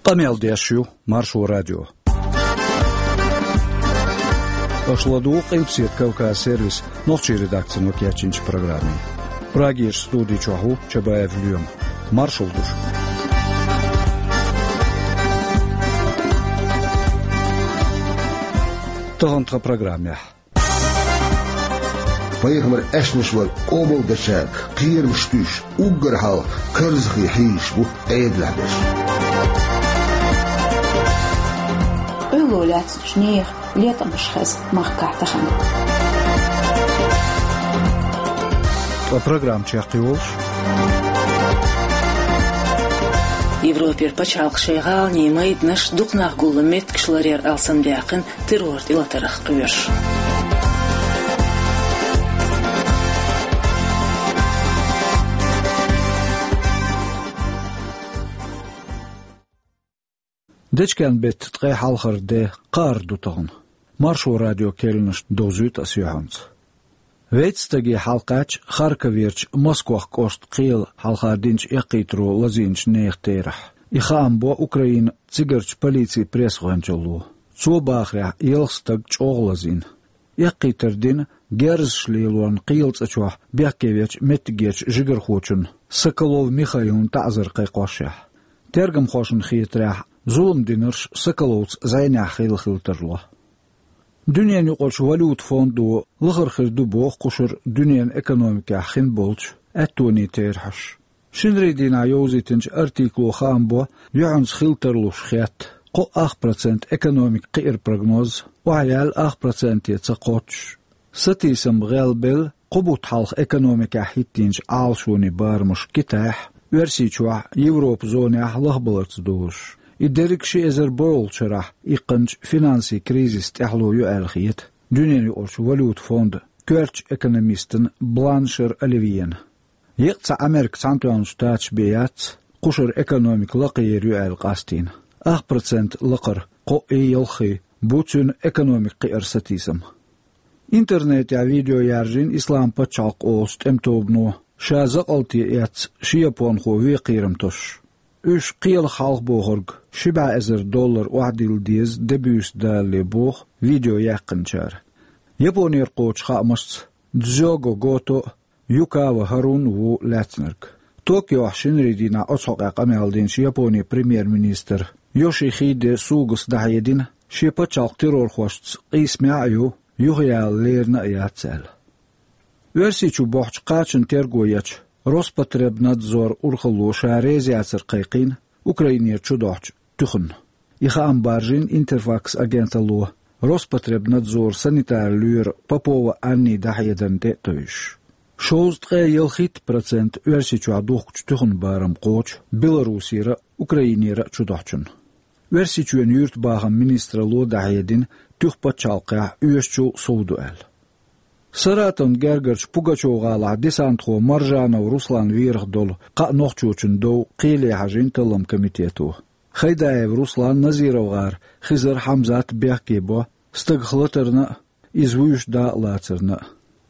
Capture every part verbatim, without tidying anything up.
Къамел деш ю Маршо радио. Аша ладугӀу Къилбаседа Кавказ сервисан нохчийн редакцино кечйинчу программе. Прагерчу студи чохь ву Чабаев Лоьма. Маршалла ду шуьга. Тахана тхан программехь. Пайхамар аьшнаш вара къобалдечара кхерамаш туьйсуш, уггар хьалха карзахе хьийзаш бу Ӏедалехь берш. Къуьлло лаьцначу нехан летамаш хеза махкахь тахана. Ткъа программа чекхйолуш. Европера пачхьалкхаш шайн гӀаланийн майданаш дукха нах гуллу меттигаш ларъяр алсамдаьккхина террор тӀелатарх кхоьруш. Дечкен-беттан ткъе хьалхара де, кхаарх ду тахана. Маршо радион керланаш довзуьйту аса юьхьанца. Вейтта стаге хьалакхаьчча Харьковерчу Москох кӀоштан кхелан хьалха динчу эккхийтаро лазийначу нехан терахь. И хаам бо Украинан цигарчу полицин пресс-гӀоьнчалло. Цо бахарехь, ялх стаг чӀогӀа лазийна. Эккхийтар дина герзаш лелорна кхелан цӀа чохь бехке вечу меттигерчу жигархочунна Соколов Михаилна таӀзар кхайкхошшехь. Тергамхошна хетарехь, зулам динарш Соколовца зӀенехь хилла хила тарло. Дуьненан юкъарчу валюта фондо лахара хир ду боху кхушара дуьненан экономикехь хин болчу аьттонийн терахьаш. Шинарийн дийнахь йовзийтинчу артикло хаам бо, юьхьанца хила тарлуш хетта, кхо ах процент экономикан кхиаран прогноз охьаяьлла ах проценте ца кхоччуш. Сатийсам гӀелбелла кхо бутт хьалха экономикехь хӀиттийначу Ӏалашонийн барамаш Китайхь, Оьрсийчохь, Европан зонехь лахбаларца долуш. И дерриг ши эзар бархӀолгӀачу шарахь иккхинчу финансийн кризисан тӀаьхьало ю аьлла хета дуьненан юкъарчу валюта фондан коьртачу экономистана Бланшер Оливьена. Еккъа цхьа Американ Цхьаьнатоьхначу Штаташ бен яц кхушара экономика лакхаер ю аьлла къастийна. Ах процент лакхара, кхоъ-ялх бу цуьнан экономикан кхиаран сатийсам. Интернетехь видео яржийна Ислам пачхьалкх олучу тӀеман тобано, ша закъалте эцна ши японхо вен кхерам тосуш. Уьш кхелах хьалха бохург ши бӀе эзар доллар охьадилла деза де буьйса далале боху видео яьккхинчара. Японера кхочу хаамашца, Дзёго Гото а, Юкава Харуна а ву лаьцнарг. Токиохь шинарийн дийнахь оцу хьокъехь къамел динчу Японин премьер-министра Йошихиде Сугас дӀахьедина, шен пачхьалкх террорхошца къийсамехь а ю, юхаяла лерина а яц аьлла. Оьрсийчу бохьучу кхачанан терго ечу Роспотребнадзор урхалло ша реза яцар кхайкхийна Украинера чудохьучу туьханна. И хаам баржийна Интерфакс агенталло, Роспотребнадзоран санитаран лоьра Попова Аннин дӀахьедарна тӀе а тевжаш. Шовзткъе ялхитта процент Оьрсийчохь духкучу туьханан барам кхочу Беларусера а, Украинера а чудохьучунна. Оьрсийчоьнан юьртабахаман министралло дӀахьедина туьха пачхьалкхехь оьшучул сов ду аьлла. Саратовн гергарчу Пугачёв-гӀалахь десантхо Маржанов Руслан верах долу кхаа нохчочун дов кхеле хьажийна талламан комитето. Хайдаев Руслан, Назиров-гӀара Хизар Хьамзат бехке бо, стагах латарна а, иза вуьйш дакъа лацарна а.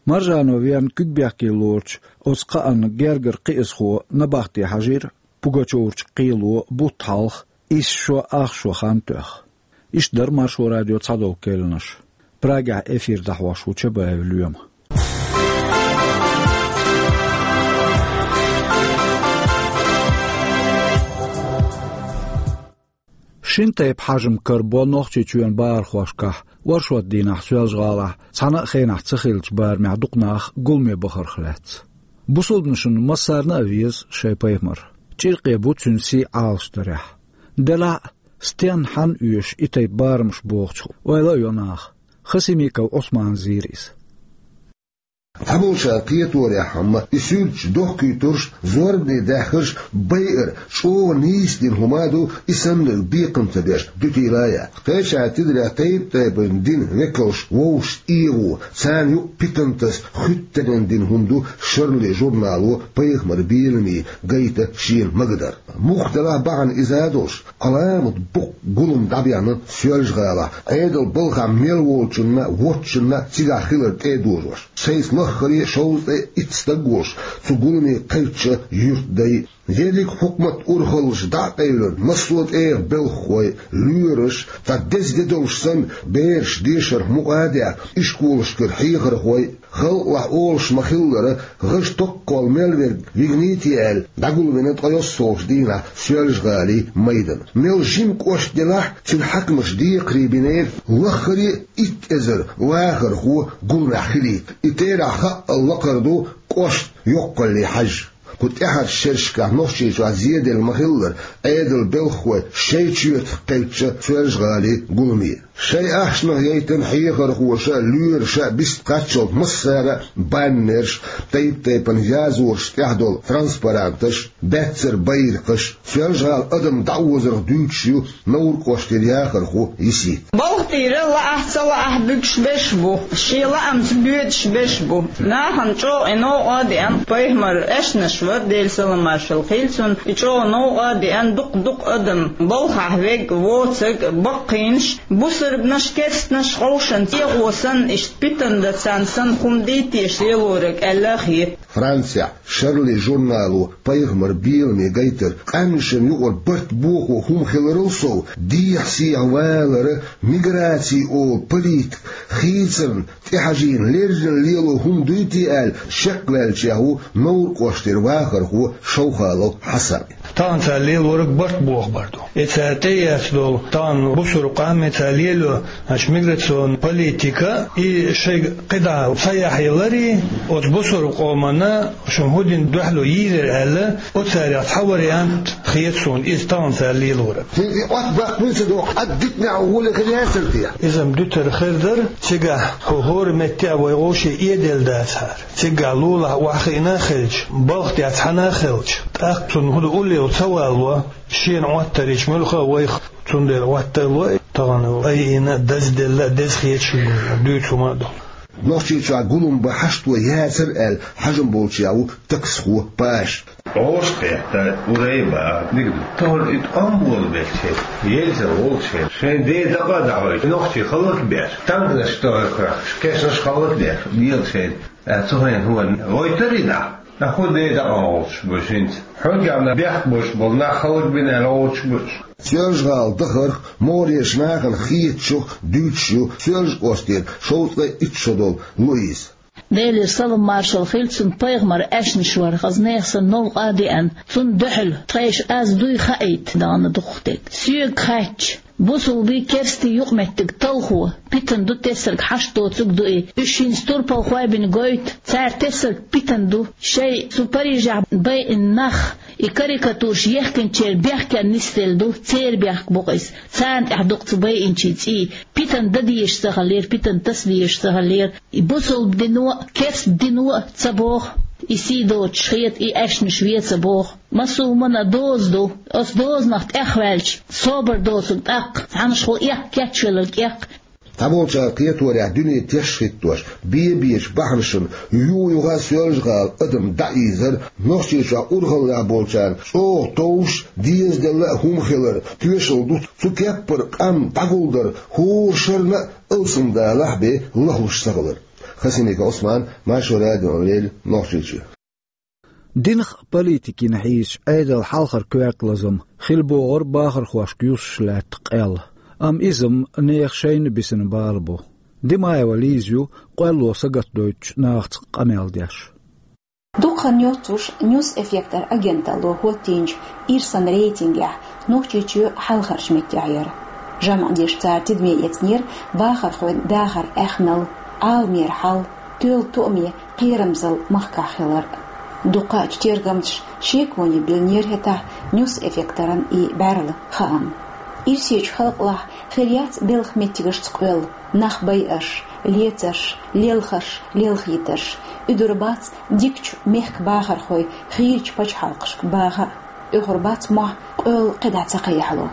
Маржанов верна куьг бехке лоручу оцу кхаанна гергара кхиазхо набахте хьажийра Пугачёврчу кхело бутт хьалха, исс шо ах шо хан тоьхна. Иштта дара Маршо радион цхьадолу керланаш. Прагехь эфир дӀахьош ву Чабаев Лоьма. Шина тайпа хьажам карабо Нохчийчоьнан бахархошкахь оршот дийнахь Соьлжа-ГӀалахь цхьана а хенахь ца хиллачу барамехь дукха нах гуламе бахарх лаьцна. Бусалбанашна массарна а веза шайн пайхамар. ЧӀиркхе бу цуьнан сий Ӏалашдарехь. Делахь а, стенна, хьанна оьшу и тайпа барамаш бохучух ойла а йо наха. Хасимиков Ӏусмана зийра иза. Цхьаболчара кхеторехь, амма и суьрташ дохкуьйтурш, зорбане даьхнарш байар чӀогӀа нийса дина хӀума а ду, и саннарг бекхам ца беш дуьтийла а яц. Кхечара тидарехь тайп-тайпана динан векалш вовшашца эгӀо, царна юкъа питантас хуьттаренна дина хӀума ду «Шарли» журнало пайхамаран беламе гайта шена магадар. Муха делахь а бахьана иза а долуш, Ӏаламат боккха гулам дӀабаьхна Соьлжа-ГӀалахь, Ӏедалан балхахь мел волчунна а, воцчунна а цигахь хилар тӀе а дожош. Сайца лаххара шовзткъе итт стаг волуш, цу гуламе кхаьчча юьртдай Ерриг хьукумат урхаллаш дӀа а къевлина, массо а тӀегӀа белхахой, лоьраш, цхьа деза де долуш санна, бераш дешарх мукъа а даьхна, ишколашкара хьехархой, халкъалахь олуш ма-хиллара, гӀаж токкхол мел верг вигнийти аьлла, дӀагулвина ткъе йоьссалгӀачу дийнахь Соьлжа-ГӀалин майдана. Мел жима кӀошт делахь а, цуьнан хьаькамаша декхарий бинера, лаххара а итт эзар вахархо гуламехь хилийта. И терахь хаъал лакхара ду кӀошт йоккхалле хьаьжжа. Кху тӀаьхьарчу шерашкахь Нохчийчохь зеделла ма-хиллара, Ӏедалан белхахой шайн чоьтах кхаьчча Соьлжа-ГӀалин гуламе. Шайн ахчанах яйтина хьехархоша а, лоьраша а бист кхаччалц массара а баннерш, тайп-тайпана язораш тӀехь долу транспаранташ, баьццара байракхаш, Соьлжа-ГӀалин адам дӀаозарх дуьйцуш ю Новр кӀоштара яхархо Йисита. Балха тӀера лаахь а, ца лаахь а буьгуш берш бу, шен лаамца боьдуш берш бу. Нахана чӀогӀа и новкъа а деана, пайхамар аьшнаш вара, Делан салам-маршалла хуьлда цунна, и чӀогӀа новкъа а деана, дукха-дукха адам, балхахь верг, воцург, баккхийнаш, бусурбанаш, керстанаш, къовшан цӀенхо санна, иштта питана дан царна санна хӀума дий теша лелориг аьлла а хета. Францехь «Шарли» журнало пайхамаран беламе гайтира, къаьмнашна юкъара барт бохо хӀума хиларал сов, дехьа-сехьа валар, миграци олу политика хийцарна тӀехьажийна леррина лело хӀума дуй те аьлла, шекваьллачех ву Новр кӀоштара вахархо Шовхалов Хьасан. Тахана цара лелориг барт бохабар ду. И цара тӀеэцна долу тахана бусурба къам, и цара лело, значит, миграционная политика, и шайга кхидӀа ца яхьийларий, оцу бусурба къомана шуна хӀун дина дуьхьало йийр яра аьлла, оцарех цхьа вариант хета суна, иза тахана цара лелориг. ХӀинца и Ӏоттабаккха буьйцур ду, Ӏад дитинехь гӀоле хир яцара те? Иза-м дуьтур хир дара, цигахь хӀу хӀора метте а вай вовшийн эделла дацахьара. Цигахь лулахь охьахиъна а хилча, балха тӀехь цхьаьна а хилча, тӀаккха цунна хӀун ду уллехула ца вало, шена Ӏоттарийча муьлхха а вайх, цундела Ӏоттар ло, тахана айина а, дазделла а, деза хеташ а, дуьйцу хӀума а ду. Нохчийчохь гулам бан хьашт ван яцара аьлла хьажам болчех ву таксхо Паша. Ӏоша кхетта, урайба, дика ду. Тахана и тӀом болабелча, елча волча, шайн ден дакъа а дӀахьойтуш, нохчий хӀаллакбеш, танканаш тӀехь а кхоьхкуш, кешнаш хӀаллакдеш, дела шайна. Ткъа цу хенахь хӀун, гойтарий нах? Ткъа хӀун ден дакъа гӀуллакхаш бу хӀинца? Хьоьгахь бехк болуш болу нах хӀаллакбина аьлла гӀуллакхаш бу уьш. Соьлжа-ГӀала дахарх, могӀарерчу нахана хетачух дуьйцуш ю Соьлжа-кӀоштара шовзткъе итт шо долу Луиза. Делера салам-маршалла хуьлда цунна, пайхамар аьшнаш вара, хаза нехан санна новкъа а деана, цунна дуьхьал тхайша аз дуй хаийта дахана дукхах дерг. Соьга хаьттича, бусулбий, керстий юкъаметтиг талхо, питана ду, тесарг хьашт доцург ду и. Уьш хӀинца турпалхой бина гойту, цара тесарг питана ду. Шайн цу Парижехь байина нах, и карикатураш ехкинчеран бехкенна нисделла ду, церан бехк бу-кх иза. Царна тӀехь ду-кх цу байинчийн цӀий. Питана дан дезаш ца хиллера, питана таса дезаш ца хиллера. И бусулба дино а, керста дино а ца боху, и сий доцуш хета, и аьшнаш вен ца боху. Массо а хӀуманна доза ду. Оцу дозанах тӀехваьлча, собар доцург тӀаккха цхьаннашхула эккха, кечвелларг эккха. Цхьаболчара кхеторехь, дуьне теш а хӀиттош, бен-бечу бахьанашна юха-юха Соьлжа-ГӀала адам дӀаийзар, Нохчийчохь урхаллехь болчарна чӀогӀа товш, дезаделла а хӀума хилар тоьшалла ду цу кеппара къам дӀагулдар, хӀора шарна а алсамдалахь бен лахлуш ца хилар. Хасимиков Ӏусман, Маршо радиона леррина, Нохчийчоь. Динах а, политикина а хьийзачу Ӏедалан хьалхара коьрта лазам хилла богӀура бахархошка юсуш лаьтта къел. Амма иза-м нехан шайна а бисина бала бу. Димаева Лиза ю къоьлло сагатдойтучу нахаца къамел деш. Дукха хан йоццуш Ньюс Эффектор агенталло хӀоттийначу ирсан рейтингехь Нохчийчоь хьалхарчу меттехь яра. ЖамӀ деш цара тидаме эцнера бахархойн дахаран аьхнал, Ӏаламера хьал, тоьлла тоаме, кхерамзалла махкахь хилар. Дукхачу тергамчаша шеконе биллинера хӀетахь Ньюс Эффекторан и бӀаьрла хаам. Ирсечу халкъалахь хир яц белхан меттигашца къоьлла, нах байарш, лецарш, лелхарш, лелхийтарш. Уьдур бац дикачу мехкан бахархой хийрачу пачхьалкхашка баха а. ТӀехур бац мохь къоьлла кхидӀа ца кхайкхало.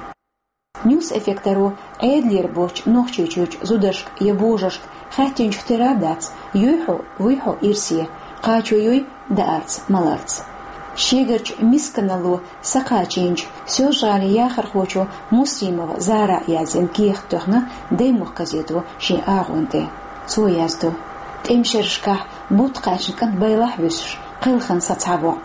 Ньюс Эффекторо Ӏедалера боцчу Нохчийчуьрчу зударшка я божаршка хаьттинчух тера а дац, юй хьо, вуй хьо ирсе, кхачо юй даарца, маларца. Шегарчу мисканалло сакхачийначу Соьлжа-ГӀалин яхархочо Муслимова Зарас яздина кехат тоьхна «Даймохк» газето шен агӀонна тӀе. Цо яздо: тӀеман шерашкахь бутт кхаьчна кӀант байлахь а вуьсуш, кхелхина сацхьа воӀ.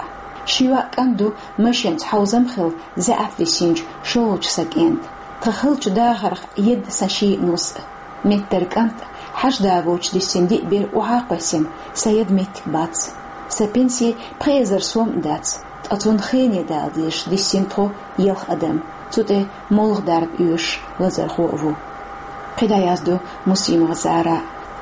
Ши йоӀ кӀант ду, машенца хьовзам хилла заьӀап висинчу шолгӀачу сан кӀентан. Тхан халчу дахарх едда сан шиъ нус а. Меттара кӀант, хьажа да воцуш диссина диъ бер охьа а кхоьссина, сан яда меттиг бац. Сан пенси пхи эзар сом а дац, ткъа цунна хене дала дезаш диссина тхо ялх адам. Цу тӀе молха дарба оьшуш лазархо а ву. КхидӀа яздо Муслимова Зара.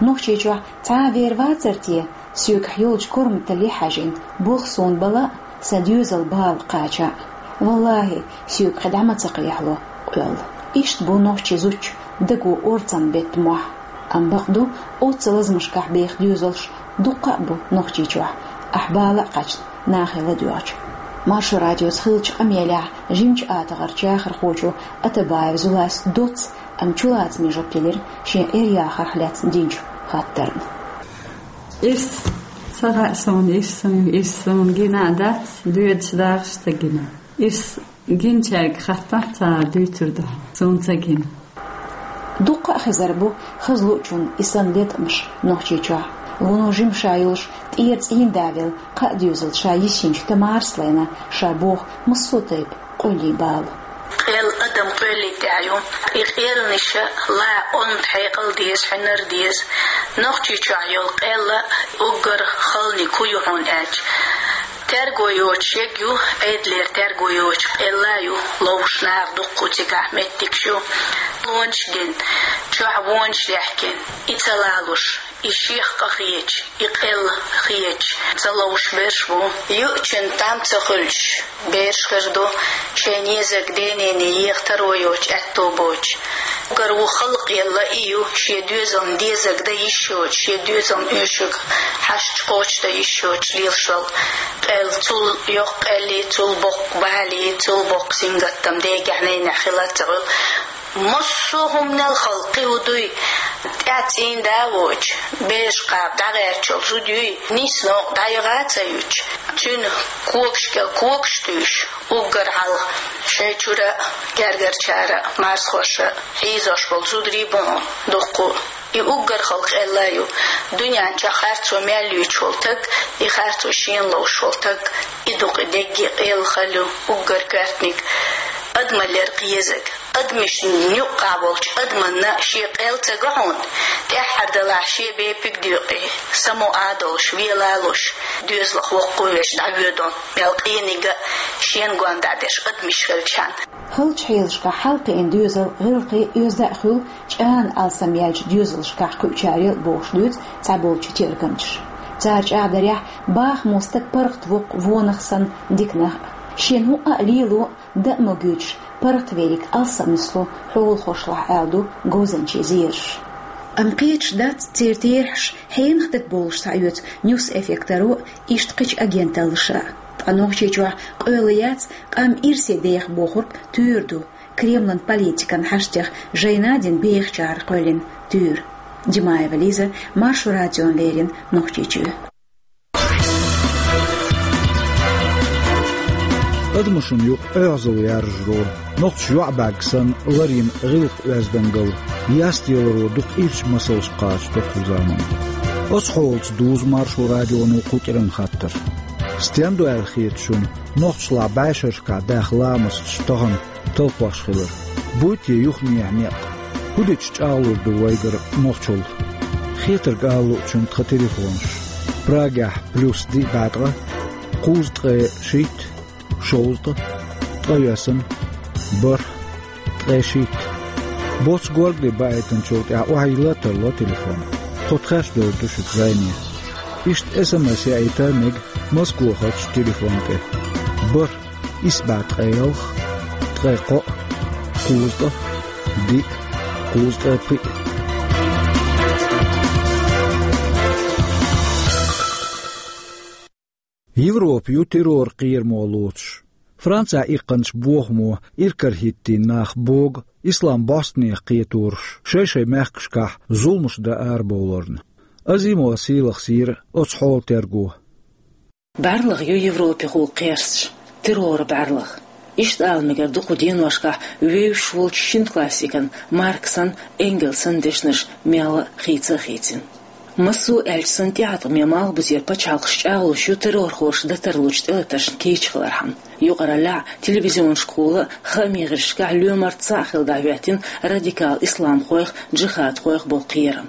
Нохчийчохь цхьа а вер вацара те, соьгахь йолчу корматалле хьаьжжина, болх суна бала а, сан доьзал бала кхача а. Валлахи, соьга кхин дӀа ма ца кхехьало къоьлла. Иштта бу нохчи зудчун даго орцам бетта мохь. Амма бакъду, оццу лазамашкахь беха доьзалш дуккха а бу Нохчийчохь, ахь бала а кхаьчна, нахе ладоьгӀча. Маршо радиоца хиллачу къамелехь жимачу атагӀарчу яхархочо Атабаев Зулас доцца, амма чулацаме жоп делира шен Ӏер-яхарх лаьцна динчу хаттарна. Ирс ца хаьа суна, ирс суна, ирс суна гина а дац, доьдуш дахаш ца гина. Ирс гинчаьрга хаттахь ца дуьйцур ду, суна ца гина. Дуккха а хезар бу хаза луучунна и санна латкъамаш Нохчийчохь. Вуно жима ша йолуш, тӀера цӀийнда велла, кхаа доьзалца ша йисинчу Тамарас лайна ша боху массо а тайпа къоьллин бала. Къел адам къоьллин тӀехь ю. И къелнаш ла онда хьекъал деза, хьинар деза. Нохчийчохь йолу къел уггар халаниг хӀун ю хьуна аьлча, терго йоцуш ерг ю, Ӏедалера терго йоцуш къел а ю, ловзуш наха дуккха цигахь меттигаш ю. Вонаш гина, чохь вонаш лехкина, и ца лалуш, и шех къа хеташ, и къел хеташ ца ловзуш берш бу. Юучун там ца хуьлуш берш хир ду, шайн езаг денене еха таро йоцуш аьтто боцуш. Уггар ву халкъ елла и ю, шен доьзална дезаг дан йиш йоцуш, шен доьзална оьшург хьашташ кхочушдан йиш йоцуш лелаш волу къел. Цул йоккха къелли, цул боккха бали, цул боккха сингаттам дегахь, ненехь хила ца хуьлу. Массо а хӀуманал халкъе хӀу дуй, тӀаьхьа цӀийнда а воцуш, бераш кхаба дӀагӀертачул зуда юй, нийса новкъа дӀаяха а ца юьтуш, цуьнан когашкахь когаш туьйсуш, уггар хьалха шайн чуьра а, гергарчара а, марзхоша а хьийзош болу зударий бу хьуна дуккха а. И уггар халкъ элла ю, дуьнен чохь харцо мел юьйцуш волу таг, и харцо шена ловзуш волу таг, и дукъа дегге къел хала ю, уггар коьртаниг адамаллера кхезаг. Адамашна юккъахь волчу адаманна шен къел ца го хьуна, тӀаьххьара далахь шен бепиг доькъий, само а долуш, вела а луш, доьзалх воккхавеш дӀавоьду, мел къениг а шен гондахь деш адамаш хилчхьана. Халчу хьелашкахь хьалакхиъна доьзал гӀиллакхе оьзда а хуьлу, чӀагӀна алсам яьллачу доьзалшкахь кхуьучарел а бохуш дуьйцу цхьаболчу тергамчаша. Цара чӀагӀдарехь, бахамо стаг паргӀат воккху вонах санна диканах а. Шена хӀуъа а лело, дан а ма гуьйцуш, паргӀат верриг алсам нисло хьолахошлахь, аьлла ду говзанчийн зераш. Амма кхеташ дац церан терахьаш хьенах дагабовлуш схьаоьцу Ньюс Эффектаро а, иштта кхечу агенталлаша а. Ткъа Нохчийчохь къоьлла яц, къам ирсе деха бохург туьйра ду, Кремлан политикан хьаштех жайна дина бехачара кхоьллина туьйра. Димаева Лиза, Маршо радиона леррина Нохчийчуьра. Адамашна юкъа оьгӀазалла яржаро, нохчаша йоӀ бӀаьрг санна ларйина гӀиллакх-оьздангалла, ястеларо дукха ирча масалш кхачадо кху заманахь. Оцу хьолаца дузу Маршо радионо кху кӀиранан хаттар. Стен ду аьлла хета шуна нохчашлахь бӀешерашкахь даьхна ламасташ тахана талхош хилар? Буй те юханехьа некъ? ХӀун дича чӀагӀлур ду вайгара нохчалла? Хетарг ала луучунна тхан телефонаш: Прагехь плюс диъ бӀе ткъа, кхузткъе шийтта, шовзткъа, ткъайоьсна, бархӀ, ткъе шийтта. Боццу горгали баийтинчул тӀаьхьа охьайилла а тарло телефон. Тхо тхаьш довр ду шуьца зайне. Иштта эс эм эс яийта мега Москвахарчу телефон тӀе: бархӀ, исс бӀе ткъе ялх, ткъе кхоъ, кхузткъа, диъ, кхузткъе пхиъ. Европа ю террор кхерам лоцуш. Францехь иккханчу бохамо иракарахӀиттийна нах богу ислам бӀостанехьа кхетораш шай-шай мехкашкахь зуламаш дан арабовларна. Азимова Сийлахьа сийра оцу хьолан терго. БӀаьрлагӀа ю Европехула кхерсташ, терроран бӀаьрлагӀа. Иштта ала мегар ду кху деношкахь вевзаш волчу шина классикан Марксан, Энгельсан дешнаш мелла а хийца а хийцина. Массо а аьлча санна, тӀеӀаткъаме Малхбузера пачхьалкхаш чӀагӀлуш ю террорхоша дан тарлучу тӀелатаршна кийча хилархьама. Юкъараллехь, телевизионашкахула а, хаамийн гӀирсашкахь а лоьмарца цхьаъ хилла дӀахӀоьттина радикал исламхойх, джихадхойх болу кхерам.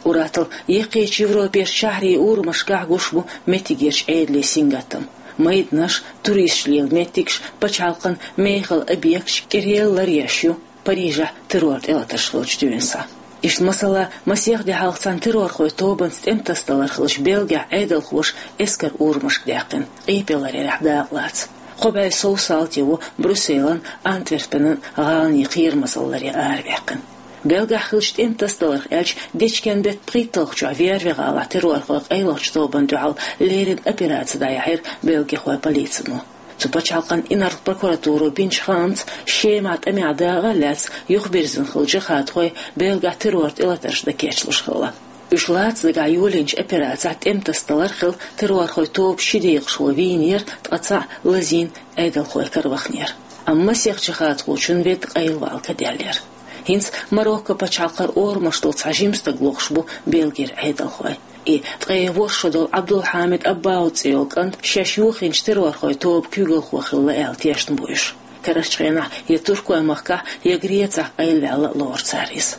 Уьттазза яккхийчу Европерчу шахьарийн урамашкахь гуш бу меттигерчу Ӏедалан сингаттам. Майданаш, туристаш лела меттигаш, пачхьалкхан мехала объекташ кӀиръяла ларъеш ю Парижехь террор тӀелатарш хиллачу дуьйна схьа. Иштта, масала, масех де хьалха цхьана террорхойн тобанца тӀематасадалар хиллачу Бельгехь Ӏедалхоша эскар урамашка даьккхина, къепе ларъярехь дакъалаца. Кхо бӀе сов салти ву Брюсселан, Антверпенан гӀаланийн кхерамазалла ларъян араваьккхина. Бельгехь хиллачу тӀематасадаларх аьлча, дечкен-беттан пхийтталгӀачохь Вервье-гӀалахь террорхойн къайлахчу тобанна дуьхьал леррина операци дӀаяьхьира бельгихойн полицино. Цу пачхьалкхан инарла прокуратуро бинчу хаамца, Шемахь тӀамехь дакъа а лаьцна, юхабирзина хилла джихадхой Бельгехь террор тӀелатарш дан кечлуш хилла. Уьш лаца дагахь йолийначу операцехь тӀематасадалар хилла террорхойн тобан ши декъашхо вийнера, ткъа цхьаъ лазийна Ӏедалхойн кара ваханера. Амма масех джихадхочун ведда къайлавала каделлера. ХӀинца Марокко пачхьалкхара орамаш долу цхьа жима стаг лохуш бу Бельгера Ӏедалхой. И ткъе ворхӀ шо долу Ӏабдулхьамид Аббауд цӀе йолу кӀант шаьш йохийначу террорхойн тобан куьйгалхо хилла аьлла тешна бу уьш. Карарчу хенахь я Туркойн махкахь, я Грецехь къайлаваьлла лору цара иза.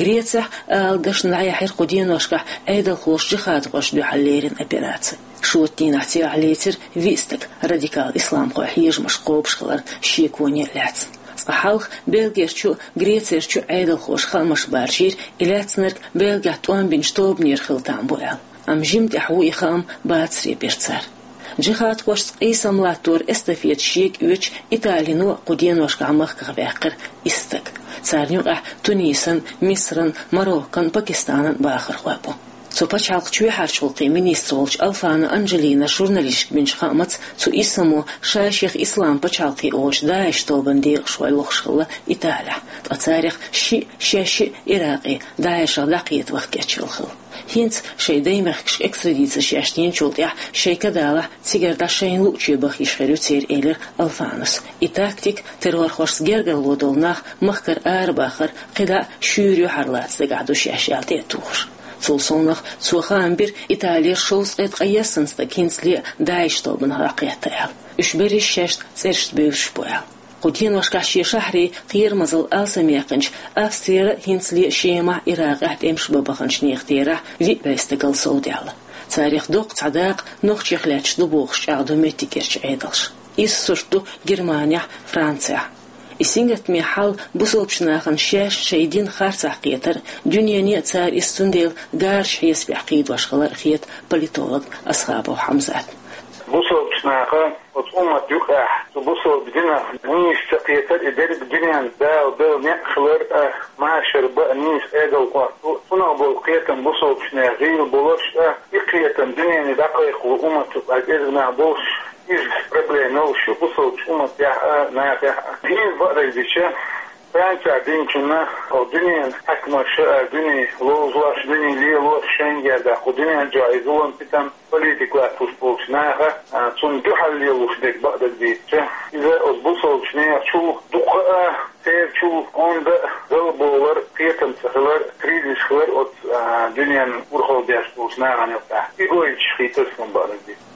Грецехь ала дашна дӀаяьхьира кху деношкахь Ӏедалхоша джихадхошна дуьхьал леррина операци. Шоьтан дийнахь цигахь лецира виъ стаг радикал исламхойн хьежамаш кхобуш хиларна шеконе а лаьцна. Цкъа хьалха Бельгерчу а, Грецерчу а Ӏедалхоша хаамаш баржийра, и лаьцнарг Бельгехь тӀом бинчу тобанера хила там бу аьлла. Амма жимма тӀаьхьа ву и хаам бацаре бира цара. Джихадхошца къийсам латтор эстафета шега оьцуш Италино а кху деношкахь махках ваьккхира исс стаг. Царна юкъахь Тунисан, Мисран, Мароккан, Пакистанан бахархой бу. Цу пачхьалкхан чоьхьарчу гӀуллакхийн министр волчу Алфано Анджелинос журналисташка бинчу хаамца, цу иссамо ша-шех Ислам пачхьалкх олучу ДАИШ тобанан декъашхой лохуш хилла Италехь, ткъа царах шиъ, шаьш шиъ Иракъе, ДАИШах дӀакхета ваха кечъелла хилла. ХӀинца шайн даймехкашка экстрадици шаьш динчул тӀаьхьа шайн кадалахь цигара дӀа шайна луъучу баха йиш хир ю церан, элира Алфанос. И тактика, террорхошца гергарло долу нах махкара арабахар, кхидӀа а шуьйра юьхьарлаца дагахь ду шаьш аьлла тӀе а тухуш. Цул совнаха цо хаам бира, Италера шовзткъе ткъайоьсна стаг хӀинцале а ДАИШ тобанах дӀакхетта аьлла. Уьш берриш шаьш цӀерашца бевзаш бу аьлла. Кху деношкахь шен шахьарийн кхерамазалла алсамъяьккхинчу Австрера а хӀинцале а Шемахь, Иракъехь тӀемаш бан баханчу нехан терахь виъ бӀе стагал совдаьлла. Царах доккха цхьа дакъа нохчех лаьтташ ду бохуш чӀагӀдо меттигерчу Ӏедалша. Иза сурт ду Германехь, Францехь. И сингаттаме хьал бусалбачу нахана шаьш шайн дин харцахь кхетар, дуьнене а цара иза цундела гарачу хьесапехь кхийдош хилар а хета политолог Асхабов Хьамзатна. Бусалбачу наха оцу уммат юкъахь цу бусалба динах нийса ца кхетар, и дерриг дуьненна Дала делла неӀ хилар а, машар бан а нийса Ӏедал хӀотто, цунах болу кхетам бусалбачу нехан гӀийла болуш а, и кхетам дуьнене дӀакхайкхало уммат юкъахь кӀезиг нах болуш, иза проблема йолуш ю бусалбачу умматехь а, нахехь а. ХӀинца бакъдерг дича, Францехь динчунна, о, дуьненан хьаькамаша а, дуьне ловзош, дуьне лелош, шайна герга кху дуьнен чохь и зулам-ситам, политика латтош болчу наха, а, цунна дуьхьал лелош дерг бакъдерг дийцича, иза оцу бусалбачу нехачул дукха а, церачул онда а залболар, кхетам ца хилар, кризис хилар оцу, а, дуьненан урхалла деш болчу нахана юкъахь. И гойтуш хийтар суна бакъдерг дийцича.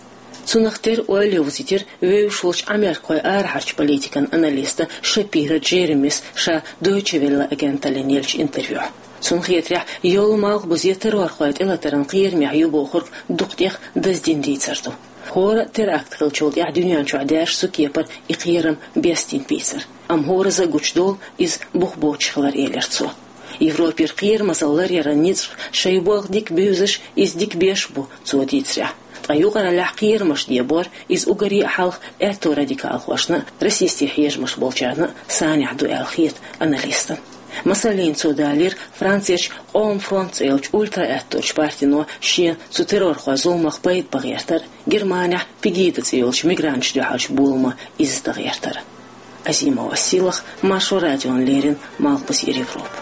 Цунах тера ойла йовзийтира вевзаш волчу Ӏамеркахойн арахьарчу политикан аналиста Шапиро Джеремис ша Дойче Велле агенталлина еллачу интервьюхь. Цунна хетарехь, йолу Малхбузе террорхойн тӀелатаран кхерамехь ю бохург дукха тӀех даздина дийцар ду. ХӀора а теракт хиллачул тӀаьхьа дуьнен чохь даьржа цу кепара и кхерам бестийна бийцар. Амма хӀоразза а гучудолу иза бух боцуш хилар, элира цо. Европера кхерамазалла ларъяран ницкъ шайн болх дика буьйзуш, иза дика беш бу, цо дийцарехь. Ткъа юкъараллехь кхерамаш дебор, иза уггаре а хьалха аьтто радикалхошна а, расистийн хьежамаш болчарна а санехь ду аьлла хета аналистана. Масаллина, цо далийра Францерчу Къоман фронт цӀе йолчу ультра-аьтторчу партино шена цу террорхойн зуламах пайда бан гӀертар а, Германехь Пегида цӀе йолчу мигранташна дуьхьалчу боламо изза дан гӀертар а. Азимова Сийлаха, Маршо радиона леррина, Малхбузера Европа.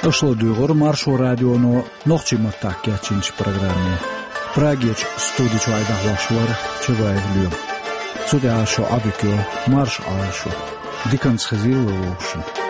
Аша ладуьйгӀира Маршо радионо нохчийн маттахь кечйинчу программе. Прагерчу студи чуьра дӀахьош вара Чабаев Лоьма. Цу тӀехь шун Ӏадика йойла, марша Ӏойла шу. Диканца хезийла вовшашна.